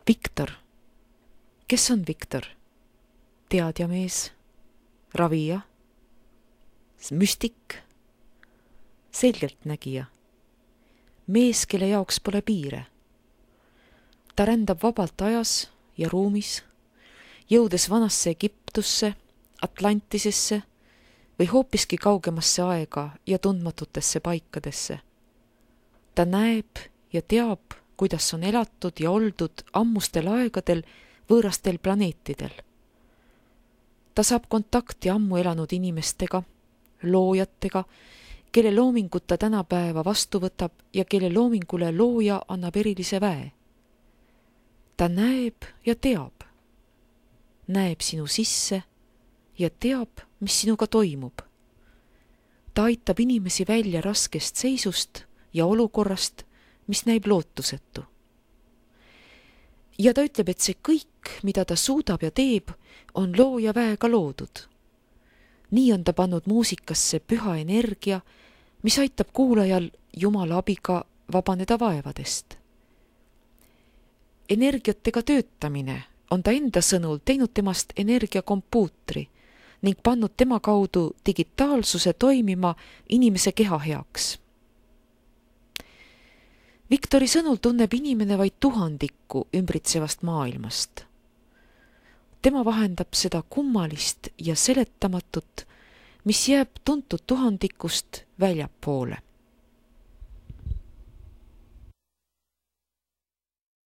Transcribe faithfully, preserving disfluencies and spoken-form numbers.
Viktor. Kes on Viktor? Teadjamees, ravija, müstik, selgeltnägija, mees, kelle jaoks pole piire. Ta rändab vabalt ajas ja ruumis, jõudes vanasse Egiptusse, Atlantisesse või hoopiski kaugemasse aega ja tundmatutesse paikadesse. Ta näeb ja teab, kuidas on elatud ja oldud ammustel aegadel võõrastel planeetidel. Ta saab kontakti ammu elanud inimestega, loojatega, kelle loomingut ta tänapäeva vastu võtab ja kelle loomingule looja annab erilise väe. Ta näeb ja teab. Näeb sinu sisse ja teab, mis sinuga toimub. Ta aitab inimesi välja raskest seisust ja olukorrast, mis näib lootusetu. Ja ta ütleb, et see kõik, mida ta suudab ja teeb, on looja väega loodud. Nii on ta pannud muusikasse püha energia, mis aitab kuulajal Jumala abiga vabaneda vaevadest. Energiatega töötamine on ta enda sõnul teinud temast energiakompuutri ning pannud tema kaudu digitaalsuse toimima inimese keha heaks. Viktori sõnul tunneb inimene vaid tuhandikku ümbritsevast maailmast. Tema vahendab seda kummalist ja seletamatut, mis jääb tuntud tuhandikust väljapoole.